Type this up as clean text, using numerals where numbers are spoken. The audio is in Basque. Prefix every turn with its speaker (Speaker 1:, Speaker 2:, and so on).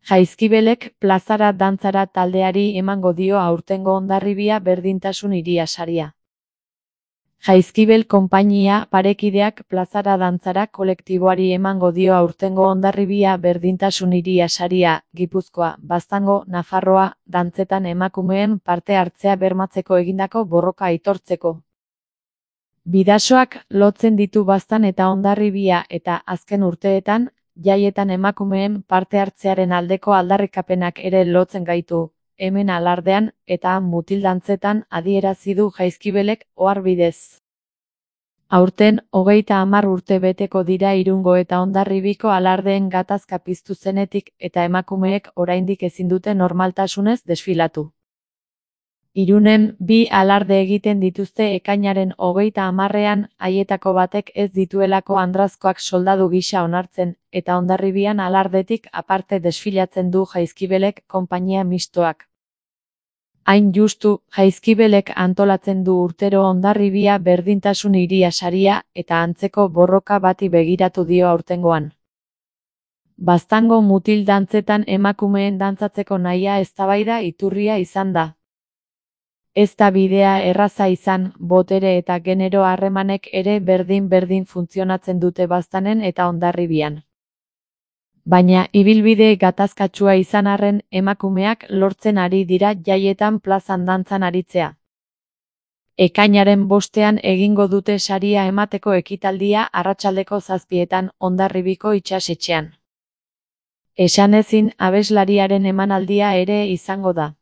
Speaker 1: Jaizkibelek plazara dantzara taldeari emango dio aurtengo Hondarribia Berdintasun Hiria saria. Jaizkibel konpainia parekideak plazara dantzara kolektiboari emango dio aurtengo Hondarribia Berdintasun Hiria saria, Gipuzkoa, Baztango, Nafarroa, dantzetan emakumeen parte hartzea bermatzeko egindako borroka aitortzeko. Bidasoak lotzen ditu Baztan eta Hondarribia eta azken urteetan, jaietan emakumeen parte hartzearen aldeko aldarrikapenak ere lotzen gaitu, hemen alardean eta mutildantzetan adierazi du Jaizkibelek oharbidez. Aurten, 30 urte beteko dira Irungo eta Hondarribiko alardeen gatazka piztu zenetik eta emakumeek oraindik ezin dute normaltasunez desfilatu. Irunen 2 alarde egiten dituzte ekainaren 30ean, haietako batek ez dituelako andrazkoak soldadu gisa onartzen, eta Hondarribian alardetik aparte desfilatzen du Jaizkibelek konpainia mistoak. Hain justu, Jaizkibelek antolatzen du urtero Hondarribia Berdintasun Hiria saria eta antzeko borroka bati begiratu dio aurtengoan. Baztango mutil dantzetan emakumeen dantzatzeko nahia eztabaida iturria izan da. Ez da bidea erraza izan, botere eta genero harremanek ere berdin-berdin funtzionatzen dute Baztanen eta Hondarribian. Baina, ibilbide gatazkatsua izan arren, emakumeak lortzen ari dira jaietan plazan dantzan aritzea. Ekainaren 5ean egingo dute saria emateko ekitaldia arratsaldeko 7etan Hondarribiko itsasetxean. Esanezin abeslariaren emanaldia ere izango da.